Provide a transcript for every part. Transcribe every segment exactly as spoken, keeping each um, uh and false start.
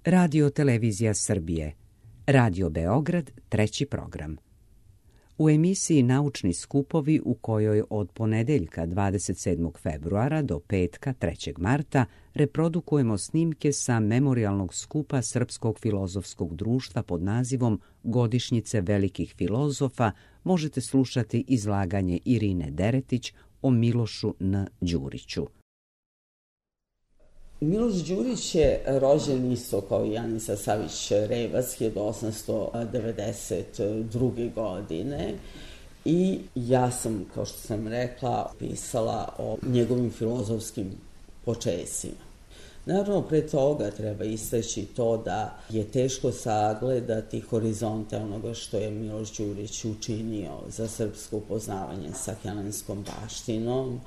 Radio Televizija Srbije, Radio Beograd, treći program. U emisiji Naučni skupovi, u kojoj od ponedeljka dvadeset sedmog februara do petka trećeg marta reprodukujemo snimke sa memorijalnog skupa Srpskog filozofskog društva pod nazivom Godišnjice velikih filozofa, možete slušati izlaganje Irine Deretić o Milošu N. Đuriću. Miloš Đurić je rođen isto kao i Janisa Savić-Revac hiljadu osamsto devedeset druge. godine i ja sam, kao što sam rekla, pisala o njegovim filozofskim počecima. Naravno, pre toga treba istaći to da je teško sagledati horizonte onoga što je Miloš Đurić učinio za srpsko upoznavanje sa helenskom baštinom,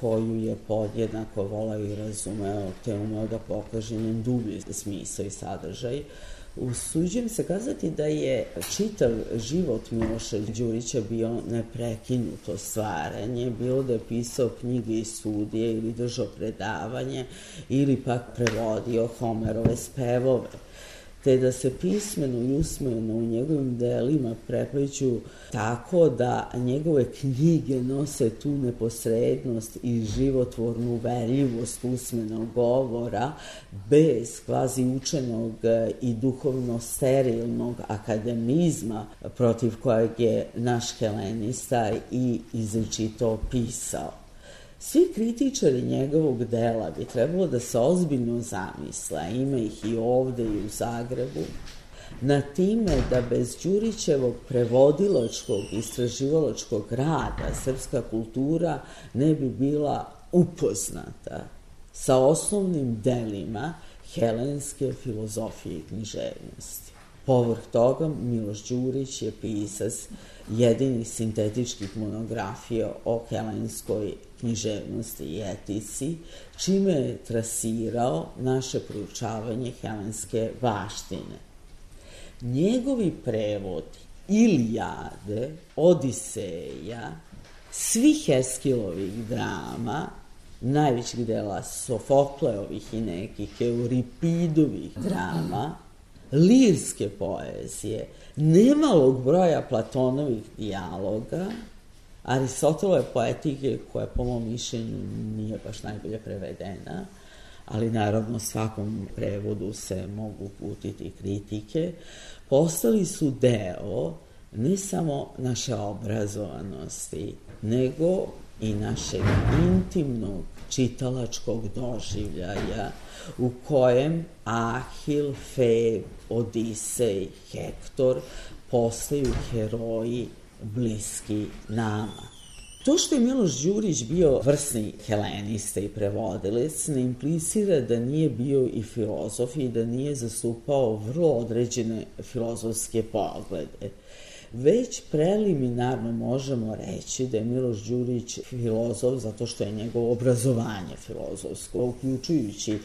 koju je podjednako voleo i razumeo, te umeo da pokaže njen dublji smisao i sadržaj. Usuđujem se kazati da je čitav život Miloša Đurića bio neprekinuto stvaranje, bilo da je pisao knjige i studije ili držao predavanje ili pak prevodio Homerove spevove, te da se pismeno i usmeno u njegovim delima prepliću tako da njegove knjige nose tu neposrednost i životvornu uverljivost usmenog govora bez kvazi učenog i duhovno sterilnog akademizma protiv kojeg je naš helenista i izričito pisao. Svi kritičari njegovog dela bi trebalo da se ozbiljno zamisle, ima ih i ovde i u Zagrebu, na time da bez Đurićevog prevodilačkog, istraživalačkog rada srpska kultura ne bi bila upoznata sa osnovnim delima helenske filozofije i književnosti. Povrh toga, Miloš Đurić je pisac jedinih sintetičkih monografija o helenskoj književnosti i etici, čime je trasirao naše proučavanje helenske baštine. Njegovi prevodi Ilijade, Odiseja, svih Eskilovih drama, najvećih dela Sofokleovih i nekih Euripidovih drama, lirske poezije, nemalog broja Platonovih dijaloga, Aristotelove poetike, koja po mom mišljenju nije baš najbolje prevedena, ali naravno svakom prevodu se mogu uputiti kritike, postali su deo ne samo naše obrazovanosti, nego i našeg intimnog čitalačkog doživljaja u kojem Ahil, Feb, Odisej, Hektor postaju heroji bliski nama. To što je Miloš Đurić bio vrsni helenista i prevodilac ne implicira da nije bio i filozof i da nije zastupao vrlo određene filozofske poglede. Već preliminarno možemo reći da je Miloš Đurić filozof zato što je njegovo obrazovanje filozofsko, uključujući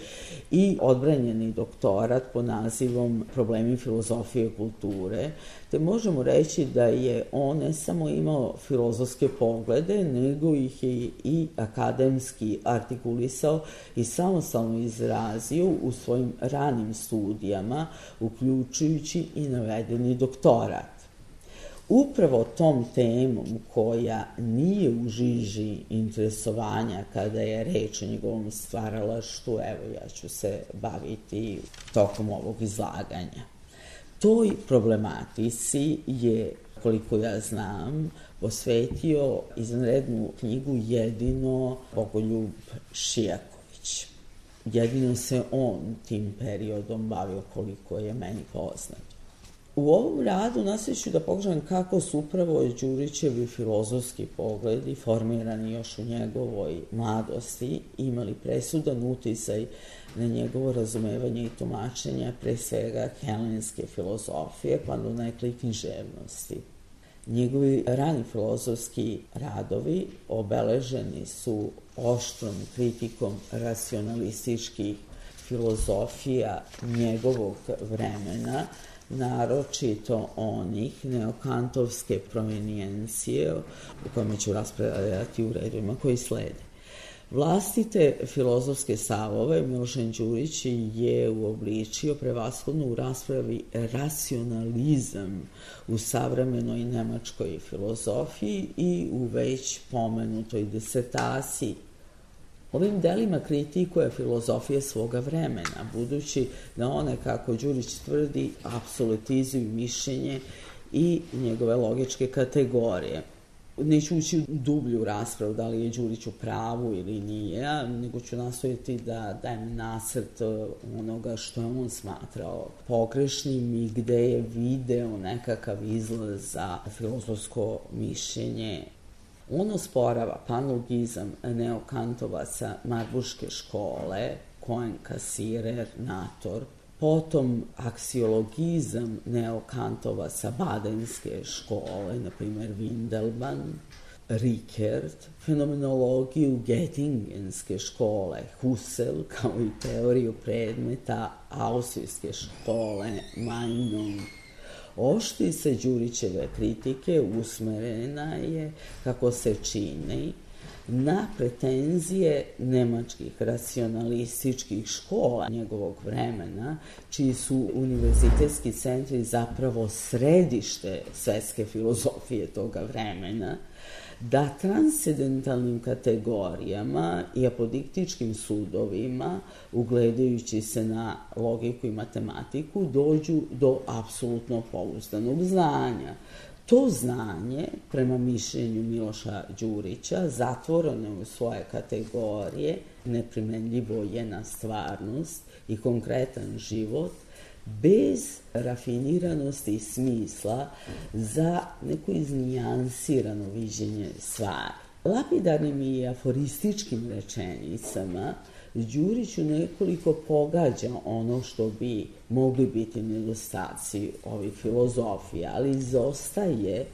i odbranjeni doktorat pod nazivom Problemi filozofije i kulture, te možemo reći da je on ne samo imao filozofske poglede, nego ih je i akademski artikulisao i samostalno izrazio u svojim ranim studijama, uključujući i navedeni doktorat. Upravo tom temom koja nije u žiži interesovanja kada je reč o njegovom stvaralaštvu, evo ja ću se baviti tokom ovog izlaganja. Toj problematici je, koliko ja znam, posvetio izvanrednu knjigu jedino Bogoljub Šijaković. Jedino se on tim periodom bavio, koliko je meni poznato. U ovom radu nastavit da pokažem kako su upravo Đurićevi filozofski pogledi, formirani još u njegovoj mladosti, imali presudan uticaj na njegovo razumevanje i tumačenja pre svega helenske filozofije, pa do nekle književnosti. Njegovi rani filozofski radovi obeleženi su oštrom kritikom racionalističkih filozofija njegovog vremena, naročito onih neokantovske provenijencije, u kojima ću raspravljati u redovima koji slede. Vlastite filozofske stavove Milošan Đurić je uobličio prevashodno u raspravi racionalizam u savremenoj nemačkoj filozofiji i u već pomenutoj disertaciji. Ovim delima kritikuje filozofije svoga vremena, budući da one, kako Đurić tvrdi, apsolutizuju mišljenje i njegove logičke kategorije. Neću ući u dublju raspravu da li je Đurić u pravu ili nije, nego ću nastojati da dajem nacrt onoga što je on smatrao pogrešnim i gde je video nekakav izlaz za filozofsko mišljenje. On osporava panlogizam neokantovaca Marburške škole, Cohen-Kasirer, Nator, potom aksiologizam neokantovaca Badenske škole, na primjer Windelband, Rickert, fenomenologiju Göttingenske škole, Husserl, kao i teoriju predmeta Austrijske škole, Meinung. Oštrica Đurićeve kritike usmerena je, kako se čini, na pretenzije nemačkih racionalističkih škola njegovog vremena, čiji su univerzitetski centri zapravo središte svetske filozofije toga vremena, da transcendentalnim kategorijama i apodiktičkim sudovima, ugledajući se na logiku i matematiku, dođu do apsolutno pouzdanog znanja. To znanje, prema mišljenju Miloša Đurića, zatvoreno je u svoje kategorije, neprimenljivo je na stvarnost i konkretan život, bez rafiniranosti i smisla za neko iznijansirano viđenje stvari. Lapidarnim i aforističkim rečenicama Đurić u nekoliko pogađa ono što bi mogli biti nedostaci ovih filozofija, ali izostaje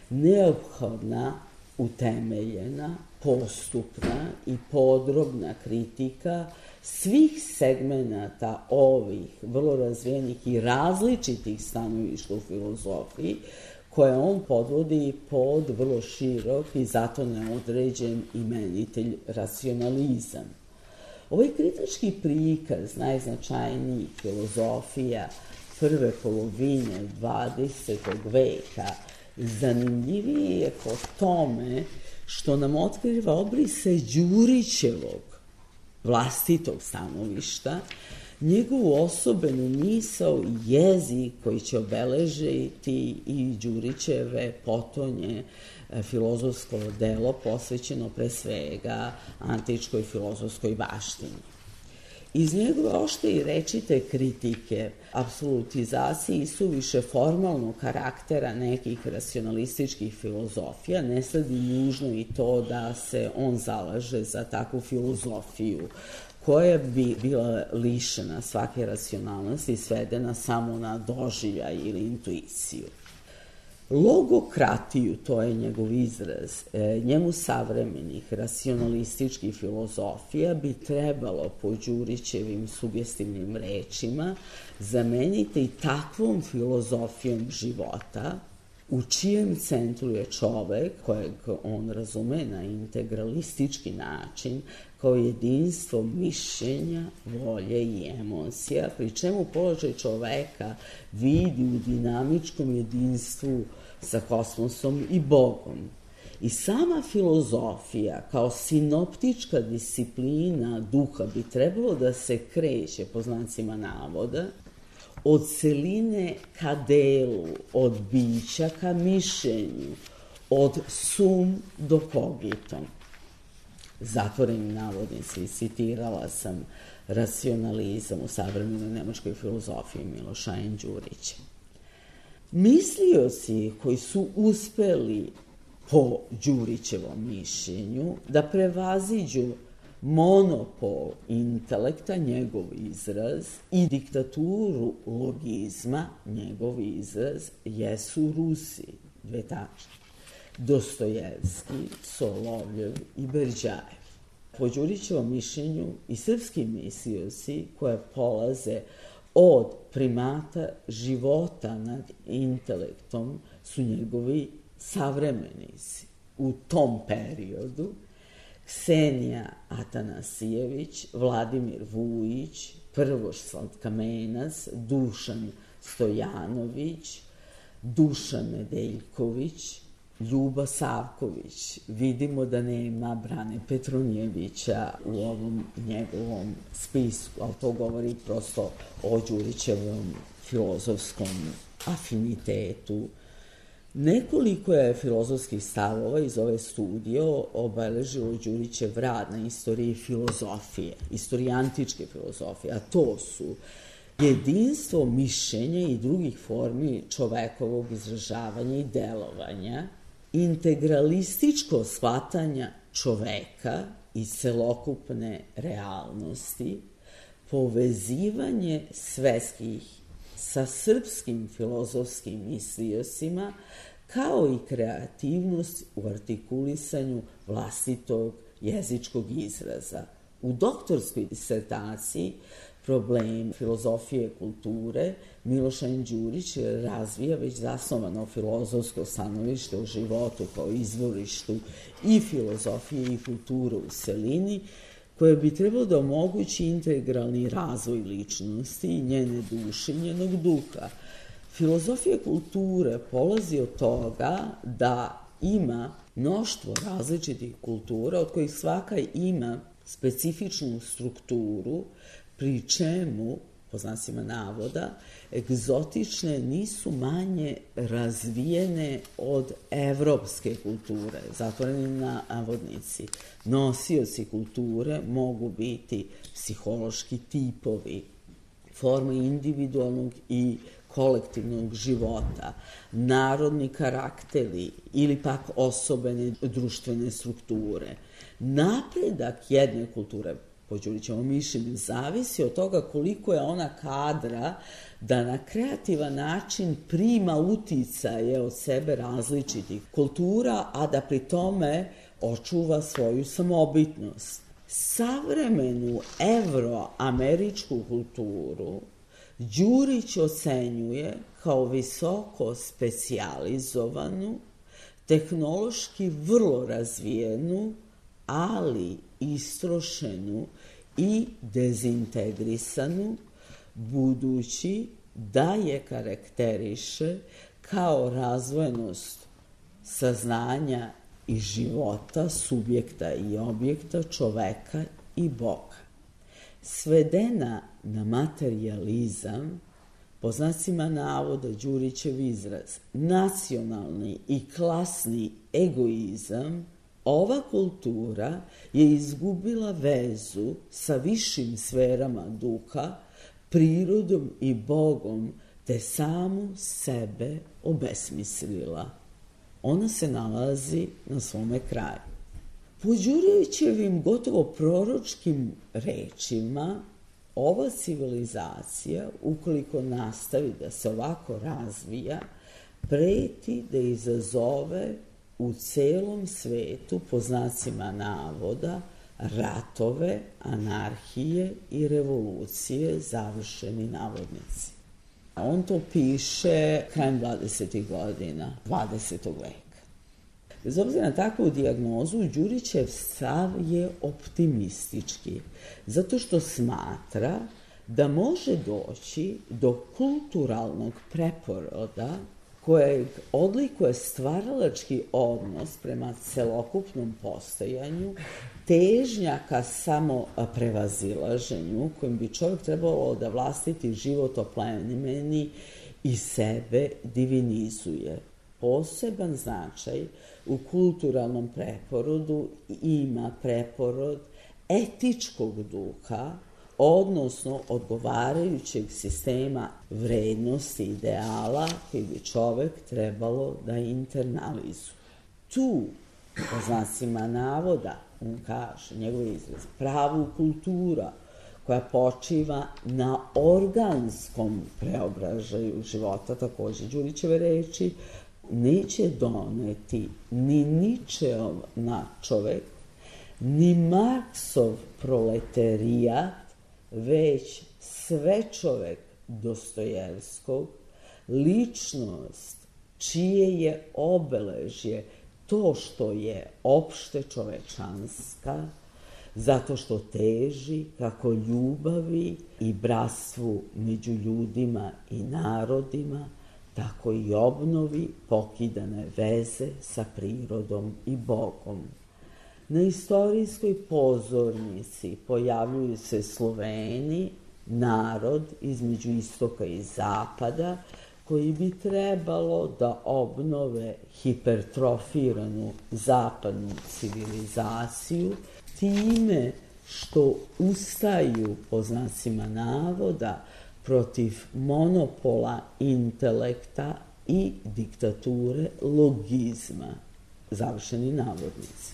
neophodna, utemeljena, postupna i podrobna kritika svih segmenata ovih vrlo razvijenih i različitih stanovišta u filozofiji, koje on podvodi pod vrlo širok i zato neodređen imenitelj racionalizam. Ovaj kritički prikaz najznačajnijih filozofija prve polovine dvadesetog veka zanimljiviji je po tome što nam otkriva obrise Đurićevog vlastitog stanovišta, njegovu osobenu misao i jezik koji će obeležiti i Đurićeve potonje filozofsko delo posvećeno pre svega antičkoj filozofskoj baštini. Iz njegove oštre i rečite kritike apsolutizaciji i suviše formalnog karaktera nekih racionalističkih filozofija ne sledi nužno i to da se on zalaže za takvu filozofiju koja bi bila lišena svake racionalnosti i svedena samo na doživljaj ili intuiciju. Logokratiju, to je njegov izraz, njemu savremenih racionalističkih filozofija bi trebalo po Đurićevim sugestivnim rečima zameniti i takvom filozofijom života u čijem centru je čovek, kojeg on razume na integralistički način, kao jedinstvo mišljenja, volje i emocija, pri čemu položaj čoveka vidi u dinamičkom jedinstvu sa kosmosom i Bogom. I sama filozofija kao sinoptička disciplina duha bi trebalo da se kreće, po znacima navoda, od celine ka delu, od bića ka mišljenju, od sum do kogitom. Zatvorenim navodnici, citirala sam racionalizam u savremenoj nemačkoj filozofiji Miloša Đurića. Mislioci koji su uspeli po Đurićevom mišljenju da prevaziđu monopol intelekta, njegov izraz, i diktaturu logizma, njegov izraz, jesu Rusi, dve tačke, Dostojevski, Solovljev i Berđajev. Po Đurićevom mišljenju i srpski mislioci koje polaze od primata života nad intelektom su njegovi savremenici u tom periodu, Ksenija Atanasijević, Vladimir Vujić, Prvoslav Kamenac, Dušan Stojanović, Dušan Nedeljković, Ljuba Savković. Vidimo da nema Brane Petronjevića u ovom njegovom spisku, ali to govori prosto o Đurićevom filozofskom afinitetu. Nekoliko je filozofskih stavova iz ove studije obeležilo Đurićev rad na istoriji filozofije, istoriji antičke filozofije, a to su jedinstvo mišljenja i drugih formi čovekovog izražavanja i delovanja, integralističko shvatanja čoveka i celokupne realnosti, povezivanje svetskih sa srpskim filozofskim misliocima, kao i kreativnost u artikulisanju vlastitog jezičkog izraza. U doktorskoj disertaciji Problem filozofije kulture Milošan Đurić razvija već zasnovano filozofsko stanovište o životu kao izvorištu i filozofije i kulture u celini, koje bi trebalo da omogući integralni razvoj ličnosti i njene duše i njenog duha. Filozofija kulture polazi od toga da ima mnoštvo različitih kultura, od kojih svaka ima specifičnu strukturu, pri čemu, po znacima navoda, egzotične nisu manje razvijene od evropske kulture, zatvoreni navodnici. Nosioci kulture mogu biti psihološki tipovi, forme individualnog i kolektivnog života, narodni karakteri ili pak osobene društvene strukture. Napredak jedne kulture, po Đurićevom mišljenju, zavisi od toga koliko je ona kadra da na kreativan način prima uticaje od sebe različitih kultura, a da pri tome očuva svoju samobitnost. Savremenu evroameričku kulturu Đurić ocenjuje kao visoko specijalizovanu, tehnološki vrlo razvijenu, ali istrošenu i dezintegrisanu, budući da je karakteriše kao razvojenost saznanja i života, subjekta i objekta, čoveka i Boga. Svedena na materijalizam, po znacima navoda Đurićev izraz, nacionalni i klasni egoizam, ova kultura je izgubila vezu sa višim sferama duha, prirodom i Bogom, te samu sebe obesmislila. Ona se nalazi na svome kraju. Po Đurićevim gotovo proročkim rečima, ova civilizacija, ukoliko nastavi da se ovako razvija, preti da izazove u celom svetu, po znacima navoda, ratove, anarhije i revolucije, završeni navodnici. On to piše krajem dvadesetih godina dvadesetog veka. Bez obzira na takvu dijagnozu, Đurićev stav je optimistički, zato što smatra da može doći do kulturalnog preporoda kojeg odlikuje stvaralački odnos prema celokupnom postojanju, težnja ka samo prevazilaženju, kojim bi čovjek trebalo da vlastiti život oplemeni i sebe divinizuje. Poseban značaj u kulturalnom preporodu ima preporod etičkog duha, odnosno odgovarajućeg sistema vrednosti ideala koji bi čovek trebalo da internalizuje. Tu, po znacima navoda, on kaže, njegov izraz, pravu kultura koja počiva na organskom preobražaju života, takođe Đurićeve reči, neće doneti ni Ničeov nadčovek, ni Marksov proletarijat, već svečovek Dostojevskog, ličnost čije je obeležje to što je opšte čovečanska, zato što teži kako ljubavi i bratstvu među ljudima i narodima, tako i obnovi pokidane veze sa prirodom i Bogom. Na istorijskoj pozornici pojavljuju se Sloveni, narod između istoka i zapada, koji bi trebalo da obnove hipertrofiranu zapadnu civilizaciju time što ustaju, po znacima navoda, protiv monopola intelekta i diktature logizma, završeni navodnici.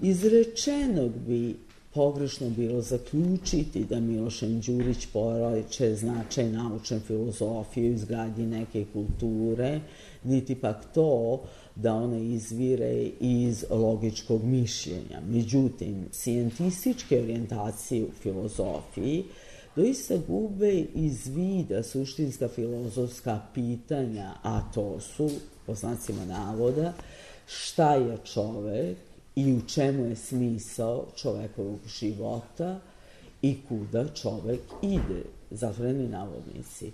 Iz rečenog bi pogrešno bilo zaključiti da Milošem Đurić poriče značaj naučne filozofije u izgradnji neke kulture, niti pak to da ona izvire iz logičkog mišljenja. Međutim, scijentističke orijentacije u filozofiji doista gube iz vida suštinska filozofska pitanja, a to su, po znacima navoda, šta je čovek i u čemu je smisao čovekovog života i kuda čovek ide, zatvoreni navodnici.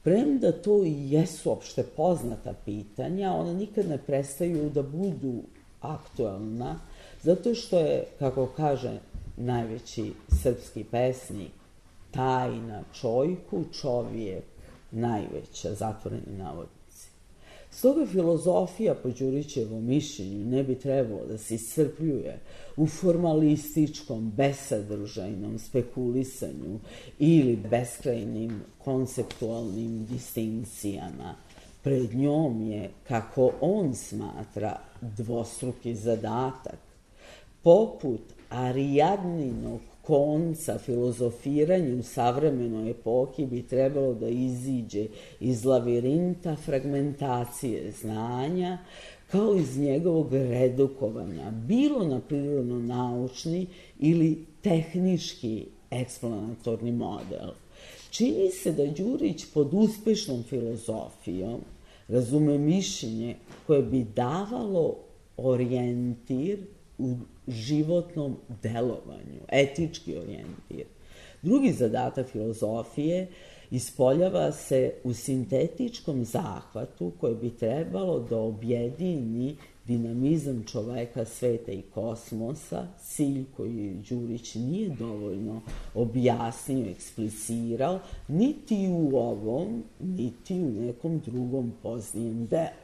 Premda to i jesu opšte poznata pitanja, ona nikad ne prestaju da budu aktuelna, zato što je, kako kaže najveći srpski pesnik, tajna čojku čovjek najveća, zatvoreni navodnici. Stoga filozofija, po Đurićevom mišljenju, ne bi trebalo da se iscrpljuje u formalističkom, besadržajnom spekulisanju ili beskrajnim konceptualnim distinkcijama. Pred njom je, kako on smatra, dvostruki zadatak. Poput Arijadninog konca filozofiranje u savremenoj epohi bi trebalo da iziđe iz lavirinta fragmentacije znanja, kao iz njegovog redukovanja, bilo na prirodno-naučni ili tehnički eksplanatorni model. Čini se da Đurić pod uspešnom filozofijom razume mišljenje koje bi davalo orijentir u životnom delovanju, etički orijentir. Drugi zadatak filozofije ispoljava se u sintetičkom zahvatu koje bi trebalo da objedini dinamizam čoveka, sveta i kosmosa, cilj koji Đurić nije dovoljno objasnio, eksplicirao, niti u ovom, niti u nekom drugom poznijem delu.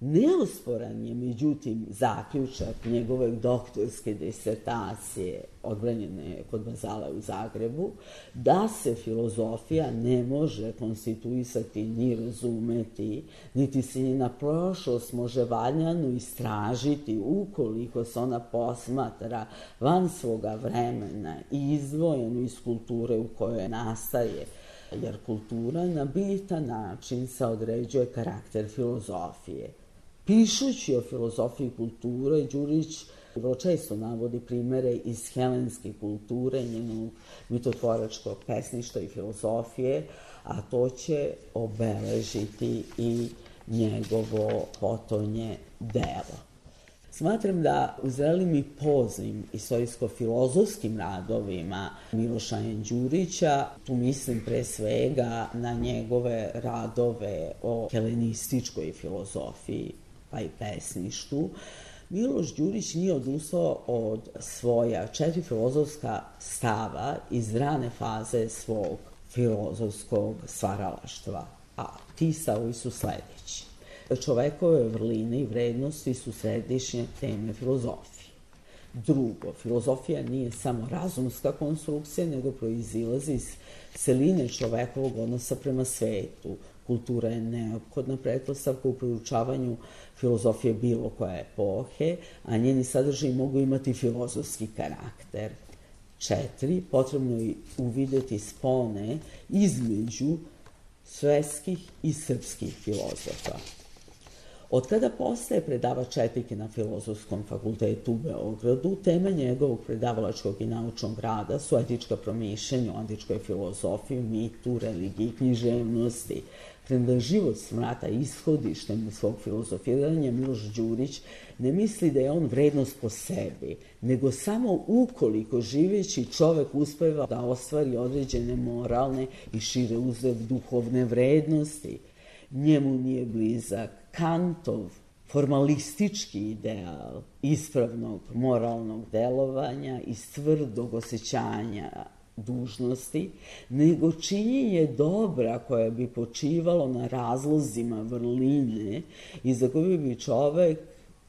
Neosporan je, međutim, zaključak njegove doktorske disertacije odbranjene kod Bazala u Zagrebu, da se filozofija ne može konstituisati ni razumeti, niti se njena prošlost može valjano istražiti ukoliko se ona posmatra van svoga vremena i izdvojeno iz kulture u kojoj nastaje, jer kultura na bitan način se određuje karakter filozofije. Pišući o filozofiji kulture, Đurić vrlo često navodi primere iz helenske kulture, njenog mitotvoračkog pesništva i filozofije, a to će obeležiti i njegovo potonje delo. Smatram da u zrelim i poznim istorijsko-filozofskim radovima Miloša N. Đurića, tu mislim pre svega na njegove radove o helenističkoj filozofiji, pa i pesništvu, Miloš Đurić nije odustao od svoja četiri filozofska stava iz rane faze svog filozofskog stvaralaštva, a ti stavovi su sledeći. Čovekove vrline i vrednosti su središnje teme filozofije. Drugo, filozofija nije samo razumska konstrukcija, nego proizilazi iz celine čovekovog odnosa prema svetu. Kultura je neophodna pretpostavka u proučavanju filozofije bilo koje epohe, a njeni sadržaji mogu imati filozofski karakter. Četiri, potrebno je uvideti spone između svetskih i srpskih filozofa. Od kada postaje predavač etike na Filozofskom fakultetu u Beogradu, tema njegovog predavalačkog i naučnog rada su etička promišljanja o antičkoj filozofiji, mitu, religiji, književnosti. Premda život smatra ishodištem svog filozofiranja, Miloš Đurić ne misli da je on vrednost po sebi, nego samo ukoliko živeći čovek uspeva da ostvari određene moralne i šire uzred duhovne vrednosti. Njemu nije blizak Kantov formalistički ideal ispravnog moralnog delovanja i tvrdog osjećanja dužnosti, nego činjenje dobra koje bi počivalo na razlozima vrline i za koje bi čovek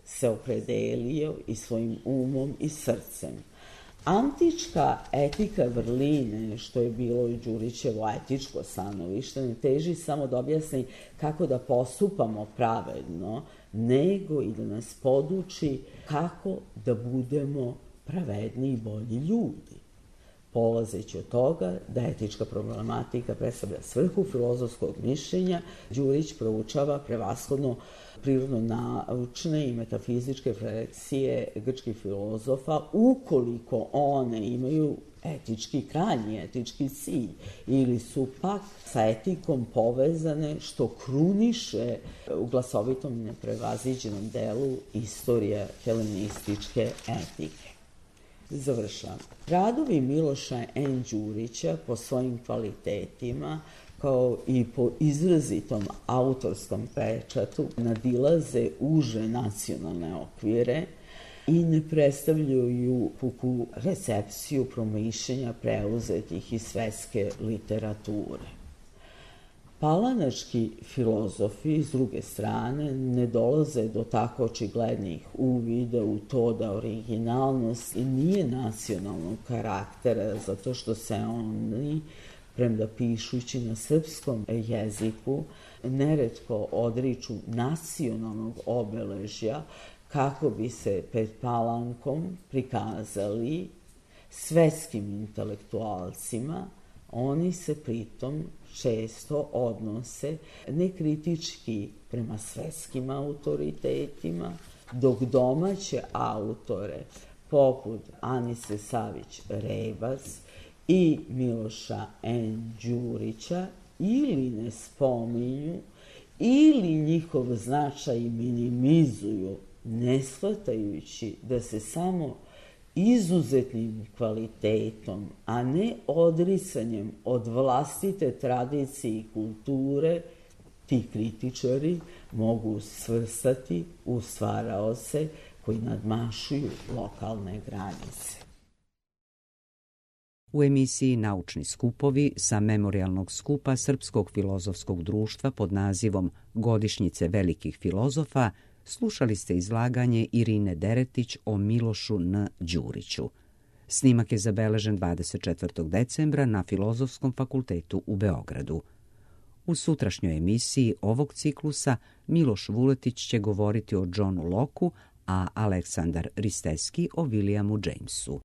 se opredelio i svojim umom i srcem. Antička etika vrline, što je bilo i Đurićevo etičko stanovište, ne teži samo da objasni kako da postupamo pravedno, nego i da nas poduči kako da budemo pravedni i bolji ljudi. Polazeći od toga da etička problematika predstavlja svrhu filozofskog mišljenja, Đurić proučava prevashodno prirodno-naučne i metafizičke refleksije grčkih filozofa, ukoliko one imaju etički, krajnji etički cilj, ili su pak sa etikom povezane, što kruniše u glasovitom i neprevaziđenom delu istorija helenističke etike. Završavam. Radovi Miloša N. Đurića po svojim kvalitetima, kao i po izrazitom autorskom pečatu, nadilaze uže nacionalne okvire i ne predstavljaju puku recepciju promišljenja preuzetih iz svetske literature. Palanački filozofi, s druge strane, ne dolaze do tako očiglednih uvida u to da originalnost nije nacionalnog karaktera, zato što se oni, premda pišući na srpskom jeziku, neretko odriču nacionalnog obeležja kako bi se pred Palankom prikazali svetskim intelektualcima. Oni se pritom često odnose nekritički prema svetskim autoritetima, dok domaće autore poput Anise Savić-Rebac i Miloša N. Đurića ili ne spominju ili njihov značaj minimizuju, ne shvatajući da se samo izuzetnim kvalitetom, a ne odricanjem od vlastite tradicije i kulture, ti kritičari mogu svrstati u stvaraoce koji nadmašuju lokalne granice. U emisiji Naučni skupovi sa memorijalnog skupa Srpskog filozofskog društva pod nazivom Godišnjice velikih filozofa slušali ste izlaganje Irine Deretić o Milošu N. Đuriću. Snimak je zabeležen dvadeset četvrtog decembra na Filozofskom fakultetu u Beogradu. U sutrašnjoj emisiji ovog ciklusa Miloš Vuletić će govoriti o Johnu Locku, a Aleksandar Risteski o Williamu Jamesu.